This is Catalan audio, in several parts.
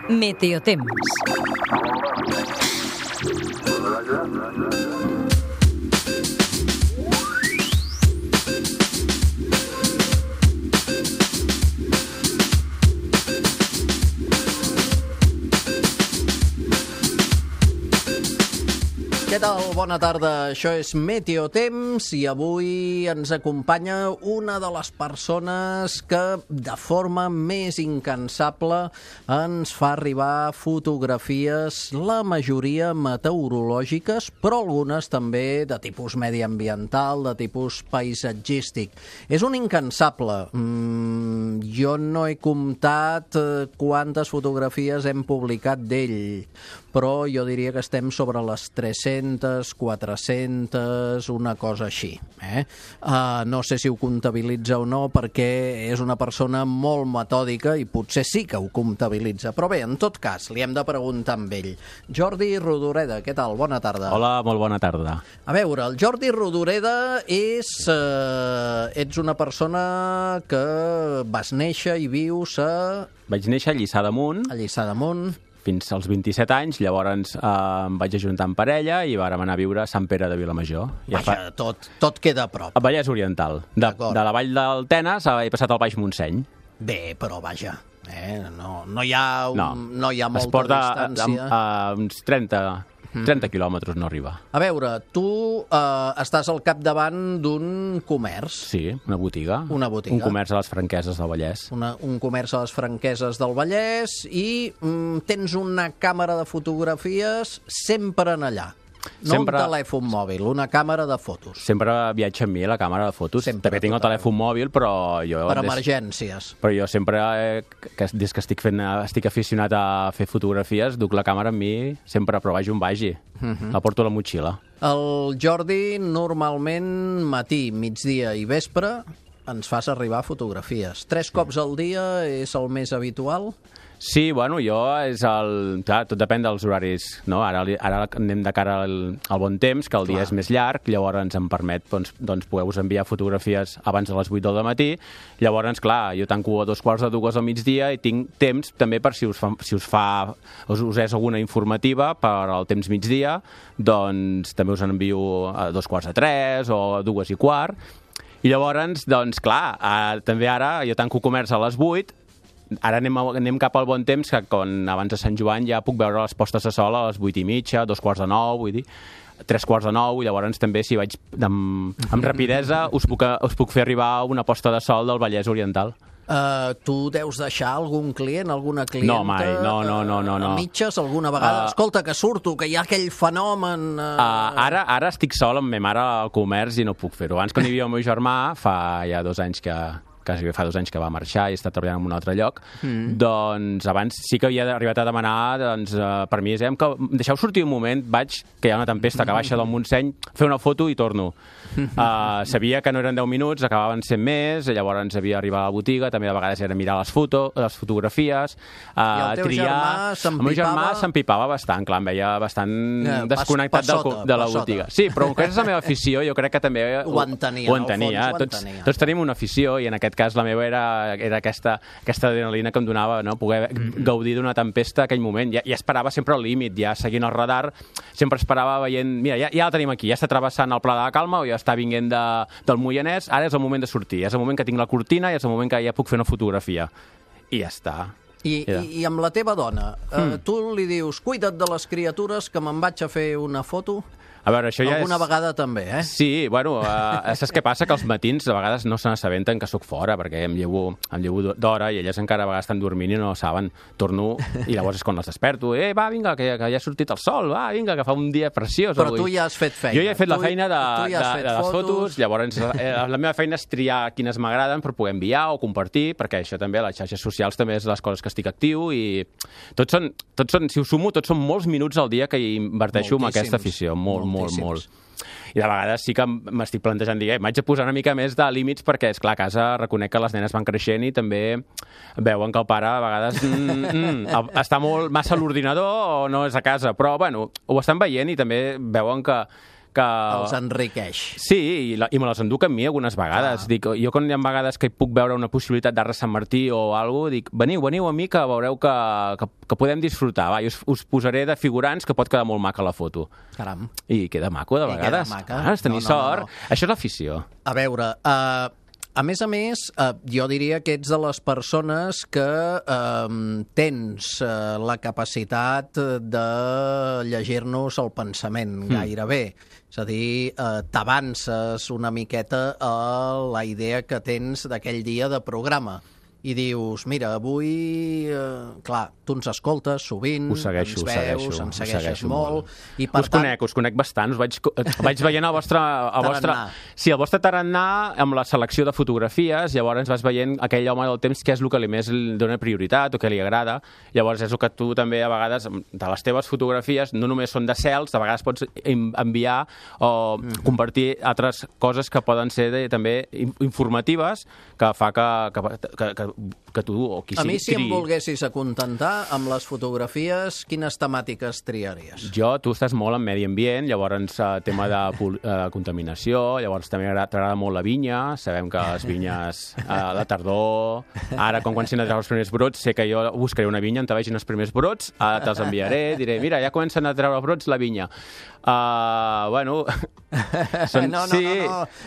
Meteotemps. Què tal? Bona tarda. Això és Meteotemps i avui ens acompanya una de les persones que de forma més incansable ens fa arribar fotografies, la majoria meteorològiques, però algunes també de tipus mediambiental, de tipus paisatgístic. És un incansable. Jo no he comptat quantes fotografies hem publicat d'ell, però jo diria que estem sobre les 300, 400, una cosa així. No sé si ho comptabilitza o no, perquè és una persona molt metòdica i potser sí que ho comptabilitza. Però bé, en tot cas, li hem de preguntar amb ell. Jordi Rodoreda, què tal? Bona tarda. Hola, molt bona tarda. A veure, el Jordi Rodoreda ets una persona que vas néixer i vius a... Vaig néixer a Lliçà d'Amunt. A Lliçà d'Amunt. Fins als 27 anys, llavors em vaig ajuntar amb parella i vàrem anar a viure a Sant Pere de Vilamajor. Vaja, tot queda a prop. A Vallès Oriental. De la vall del Tenes he passat al Baix Montseny. Bé, però vaja, no hi ha molta distància. Uns 30 quilòmetres no arriba. A veure, tu estàs al capdavant d'un comerç. Sí, una botiga. Una botiga. Un comerç a les Franqueses del Vallès. Un comerç a les Franqueses del Vallès i tens una càmera de fotografies sempre en allà. No un telèfon mòbil, una càmera de fotos. Sempre viatja amb mi la càmera de fotos. També tinc el telèfon mòbil, però jo... Per emergències. Però jo sempre, des que estic aficionat a fer fotografies, duc la càmera amb mi sempre, però vagi on vagi. La porto a la motxilla. El Jordi, normalment, matí, migdia i vespre, ens fas arribar fotografies. 3 cops al dia és el més habitual? Sí, bueno, clar, tot depèn dels horaris, no? Ara anem de cara al bon temps, que el dia és més llarg, llavors ens en permet, doncs, poder-vos enviar fotografies abans de les 8 del matí. Llavors, clar, jo tanco a 2:45 al migdia i tinc temps també per si us és alguna informativa per al temps migdia, doncs també us envio a 2:45 o a 2:15. I llavors, doncs, clar, també ara jo tanco comerç a les 8. Ara anem cap al bon temps, que abans de Sant Joan ja puc veure les postes de sol a les 8:30, 8:45, vull dir, 8:45, i llavors també, si vaig amb rapidesa, us puc fer arribar una posta de sol del Vallès Oriental. Tu deus deixar algun client, alguna clienta... No, mai, no. A mitges, alguna vegada? Escolta, que surto, que hi ha aquell fenomen... Ara estic sol amb ma mare al comerç i no puc fer-ho. Abans, quan hi havia el meu germà, fa ja 2 anys quasi fa 2 anys que va marxar i està treballant en un altre lloc, doncs abans sí que havia arribat a demanar permís, que deixeu sortir un moment, que hi ha una tempesta que baixa del Montseny, fer una foto i torno. Sabia que no eren 10 minuts, acabaven sent més, llavors havia d'arribar a la botiga, també de vegades era mirar les fotografies, I el teu germà s'empipava? El meu germà s'empipava bastant, clar, em veia bastant desconnectat de la botiga. Sí, però com que és la meva afició, jo crec que també ho entenia. Tots tenim una afició i en aquest cas la meva era aquesta adrenalina que em donava, no? Poder gaudir d'una tempesta aquell moment. Ja esperava sempre al límit, ja seguint el radar, sempre esperava veient, mira, ja la tenim aquí, ja està travessant el Pla de la Calma o ja està vinguent del Moianès, ara és el moment de sortir, és el moment que tinc la cortina i és el moment que ja puc fer una fotografia. I ja està. I amb la teva dona, tu li dius, cuida't de les criatures que me'n vaig a fer una foto? A veure, això ja alguna vegada també, Sí, bueno, saps què passa? Que els matins a vegades no se n'assabenten que sóc fora, perquè em llevo d'hora i elles encara a vegades estan dormint i no saben. Torno i llavors és quan les desperto. Va, vinga, que ja ha sortit el sol, va, vinga, que fa un dia preciós. Però tu ja has fet feina. Jo ja he fet la feina de les fotos, llavors la meva feina és triar quines m'agraden per poder enviar o compartir, perquè això també, les xarxes socials també és les coses que estic actiu i tots són, si ho sumo, tots són molts minuts al dia que hi inverteixo en aquesta afició, molt. I de vegades sí que m'estic plantejant dir, m'haig de posar una mica més de límits perquè, esclar, a casa reconec que les nenes van creixent i també veuen que el pare a vegades està molt massa a l'ordinador o no és a casa, però bueno, ho estan veient i també veuen que que... Els enriqueix. Sí, i me les enduc amb mi algunes vegades. Dic, jo quan hi ha vegades que hi puc veure una possibilitat d'Arc Sant Martí o alguna cosa, dic, veniu a mi que veureu que podem disfrutar. Va, jo us posaré de figurants que pot quedar molt maca la foto. Caram. I queda maco, de vegades. Has tenir sort. Això és l'afició. A veure, a més, jo diria que ets de les persones que tens la capacitat de llegir-nos el pensament gairebé. És a dir, t'avances una miqueta a la idea que tens d'aquell dia de programa. I dius, mira, avui, clar, tu ens escoltes sovint, ens veus, ens segueixes molt, i per tant... Us conec bastant, vaig veient el vostre... Sí, el vostre tarannà amb la selecció de fotografies, llavors vas veient aquell home del temps que és el que més li dona prioritat o que li agrada, llavors és el que tu també a vegades, de les teves fotografies, no només són de cels, de vegades pots enviar o compartir altres coses que poden ser també informatives, que fa que tu o qui sigui... A mi, si em volguessis acontentar amb les fotografies, quines temàtiques triaries? Tu estàs molt en medi ambient, llavors tema de contaminació, llavors també t'agrada molt la vinya, sabem que les vinyes a la tardor, ara quan s'han de treure els primers brots, sé que jo buscaré una vinya on te vegin els primers brots, te'ls enviaré, diré, mira, ja comencen a treure brots la vinya. Bueno... No,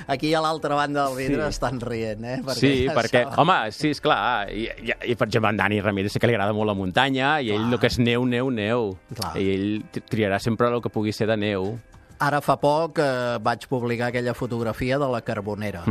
aquí a l'altra banda del vidre estan rient, Sí, perquè, home, sí, esclar, i per exemple, en Dani Ramírez sé que li agrada molt la muntanya, i ell el que és neu. I ell triarà sempre el que pugui ser de neu. Ara fa poc vaig publicar aquella fotografia de la Carbonera.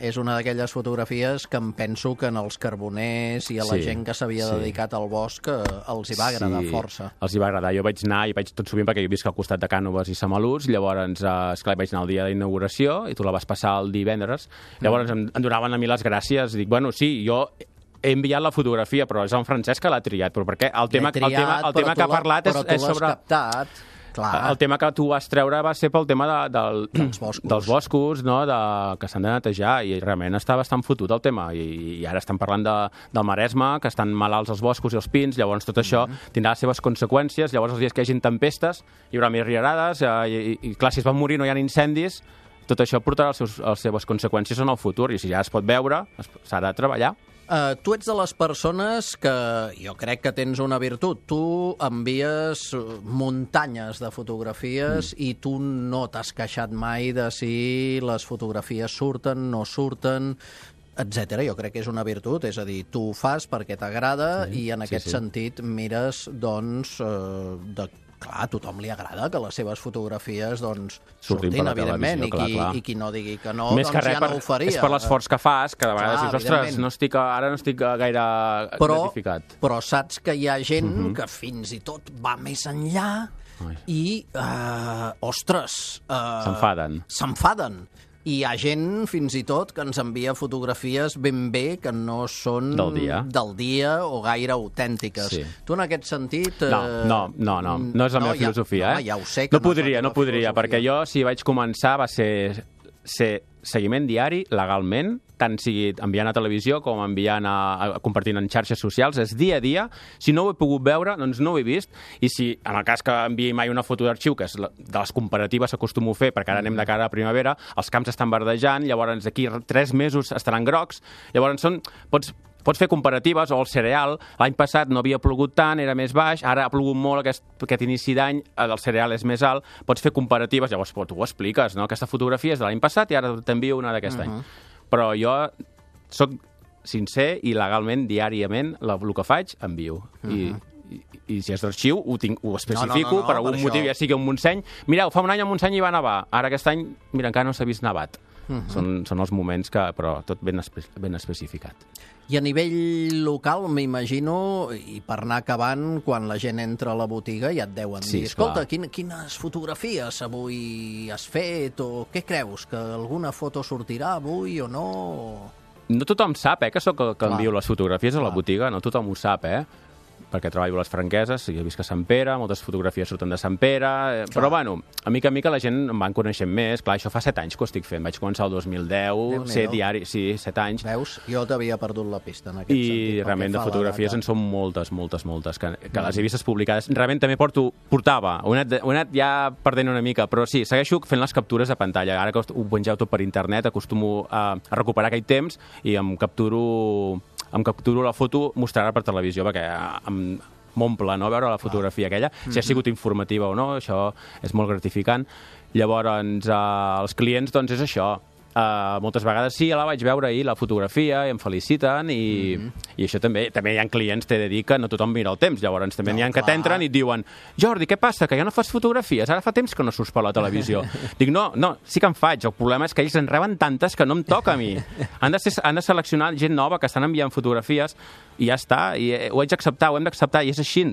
És una d'aquelles fotografies que em penso que en els carboners i a la gent que s'havia dedicat al bosc els hi va agradar força. Els hi va agradar. Jo vaig anar, i vaig tot sovint perquè jo visc al costat de Cànoves i Samalús, llavors, esclar, vaig anar el dia d'inauguració i tu la vas passar el divendres. Llavors em donaven a mi les gràcies. Dic, bueno, sí, jo he enviat la fotografia, però és en Francesc que l'ha triat. Però perquè el tema que ha parlat és sobre... Però tu l'has captat. Clar. El tema que tu vas treure va ser pel tema dels boscos, no? Que s'han de netejar, i realment està bastant fotut el tema, i ara estan parlant del Maresme, que estan malalts els boscos i els pins, llavors tot això tindrà les seves conseqüències, llavors els dies que hi hagi tempestes hi haurà més riarades, i clar, si es van morir no hi ha incendis, tot això portarà les seves conseqüències en el futur, i si ja es pot veure, s'ha de treballar. Tu ets de les persones que jo crec que tens una virtut. Tu envies muntanyes de fotografies i tu no t'has queixat mai de si les fotografies surten, no surten, etc. Jo crec que és una virtut, és a dir, tu ho fas perquè t'agrada i en aquest sentit mires, doncs, clar, a tothom li agrada que les seves fotografies surtin, evidentment, i qui no digui que no, doncs ja no ho faria. És per l'esforç que fas, que de vegades dius, ostres, ara no estic gaire gratificat. Però saps que hi ha gent que fins i tot va més enllà i, ostres... S'enfaden. I hi ha gent, fins i tot, que ens envia fotografies ben bé que no són del dia o gaire autèntiques. Sí. Tu, en aquest sentit... No és la meva filosofia. Ja ho sé que no podria, perquè jo, si vaig començar, va ser seguiment diari, legalment, tant sigui enviant a televisió com enviant compartint en xarxes socials, és dia a dia. Si no ho he pogut veure, doncs no ho he vist, i si, en el cas que enviï mai una foto d'arxiu, que és de les comparatives que acostumo a fer, perquè ara anem de cara a primavera, els camps estan verdejant, llavors d'aquí 3 mesos estaran grocs, llavors pots fer comparatives, o el cereal, l'any passat no havia plogut tant, era més baix, ara ha plogut molt aquest inici d'any, el cereal és més alt, pots fer comparatives, llavors tu ho expliques, no? Aquesta fotografia és de l'any passat i ara t'envio una d'aquest any. Però jo soc sincer i legalment, diàriament, el que faig, envio. I si és d'arxiu, ho especifico per algun motiu, ja sigui un Montseny. Mireu, fa un any a Montseny hi va nevar, ara aquest any, mira, encara no s'ha vist nevat. Són els moments que, però tot ben especificat. I a nivell local, m'imagino, i per anar acabant, quan la gent entra a la botiga ja et deuen dir, escolta, quines fotografies avui has fet, o què creus, que alguna foto sortirà avui o no? No tothom sap, que sóc el que envio les fotografies a la botiga, no tothom ho sap, perquè treballo a les Franqueses, jo visc a Sant Pere, moltes fotografies surten de Sant Pere, però bueno, a mica la gent em van coneixent més. Clar, això fa 7 anys que ho estic fent, vaig començar el 2010, ser diari, sí, 7 anys. Veus? Jo t'havia perdut la pista en aquest sentit. I realment de fotografies en són moltes, que les he vistes publicades. Realment també portava, ho he anat ja perdent una mica, però sí, segueixo fent les captures de pantalla. Ara que ho pengeu tot per internet, acostumo a recuperar aquell temps i em capturo la foto, mostrar-la per televisió, perquè m'omple, no?, veure la fotografia aquella, si ha sigut informativa o no, això és molt gratificant. Llavors, els clients, doncs, és això. Moltes vegades sí, la vaig veure ahir, la fotografia, i em feliciten, i això també hi ha clients, t'he de dir, que no tothom mira el temps. Llavors també n'hi ha que t'entren i et diuen: Jordi, què passa, que ja no fas fotografies? Ara fa temps que no surts per la televisió. Dic, no, sí que en faig. El problema és que ells en reben tantes que no em toca a mi. Han de seleccionar gent nova que estan enviant fotografies i ja està, i ho haig d'acceptar, ho hem d'acceptar, i és així.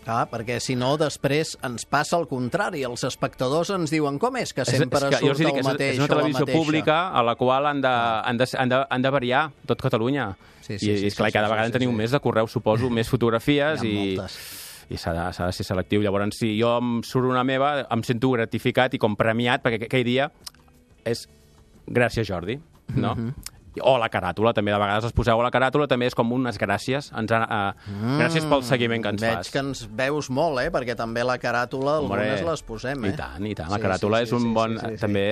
Clar, perquè si no, després ens passa el contrari. Els espectadors ens diuen: com és que sempre surt el mateix? És una televisió pública a la qual han de variar tot Catalunya. I clar, cada vegada en teniu més de correu, suposo, més fotografies, i s'ha de ser selectiu. Llavors, si jo em surt una meva, em sento gratificat i com premiat, perquè aquell dia és gràcies, Jordi, no? O la caràtula, també de vegades els poseu a la caràtula, també és com unes gràcies. Gràcies pel seguiment que ens fas. Veig que ens veus molt, perquè també la caràtula algunes les posem, I tant. La caràtula és un bon... També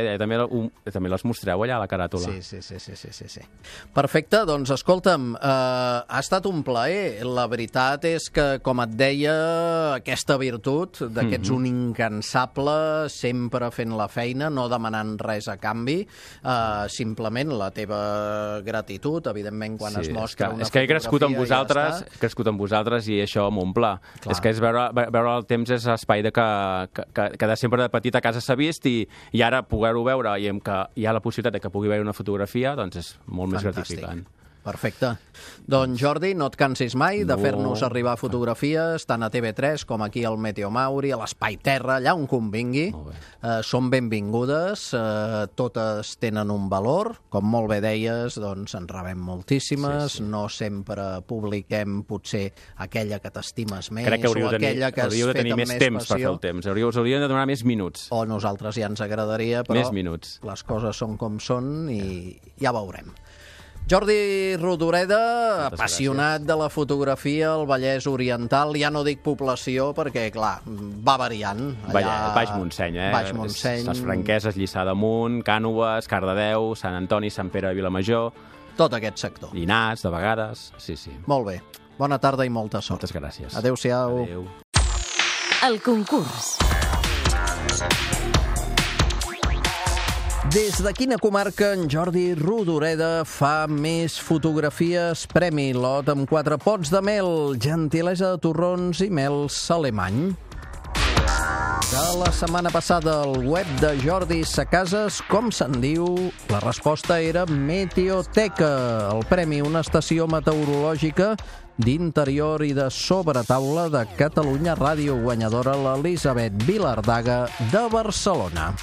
les mostreu allà, a la caràtula. Sí. Perfecte, doncs escolta'm, ha estat un plaer. La veritat és que, com et deia, aquesta virtut d'aquests un incansable, sempre fent la feina, no demanant res a canvi, simplement la teva gratitud, evidentment, quan es mostra una fotografia. És que he crescut amb vosaltres i això m'omple. És que veure el temps és espai que de sempre de petit a casa s'ha vist i ara poder-ho veure i que hi ha la possibilitat que pugui veure una fotografia, doncs és molt més gratificant. Perfecte. Doncs Jordi, no et cansis mai de fer-nos arribar fotografies, tant a TV3 com aquí al Meteo Mauri, a l'Espai Terra, allà on convingui. Són benvingudes, totes tenen un valor. Com molt bé deies, doncs en rebem moltíssimes. No sempre publiquem potser aquella que t'estimes més o aquella que has fet amb més temps per fer el temps. Us hauríem de donar més minuts. O nosaltres ja ens agradaria, però les coses són com són i ja veurem. Jordi Rodoreda, apassionat de la fotografia al Vallès Oriental, ja no dic població perquè, clar, va variant. Baix Montseny, Baix Montseny. Les Franqueses, Lliçà d'Amunt, Cànoves, Cardedeu, Sant Antoni, Sant Pere de Vilamajor. Tot aquest sector. Llinars, de vegades, sí. Molt bé. Bona tarda i molta sort. Moltes gràcies. Adéu-siau. Adéu. El concurs. Des de quina comarca en Jordi Rodoreda fa més fotografies? Premi lot amb 4 pots de mel, gentilesa de torrons i mels alemany. De la setmana passada al web de Jordi Sacases, com se'n diu? La resposta era Meteoteca. El premi, una estació meteorològica d'interior i de sobretaula de Catalunya Ràdio, guanyadora l'Elisabet Vilardaga de Barcelona.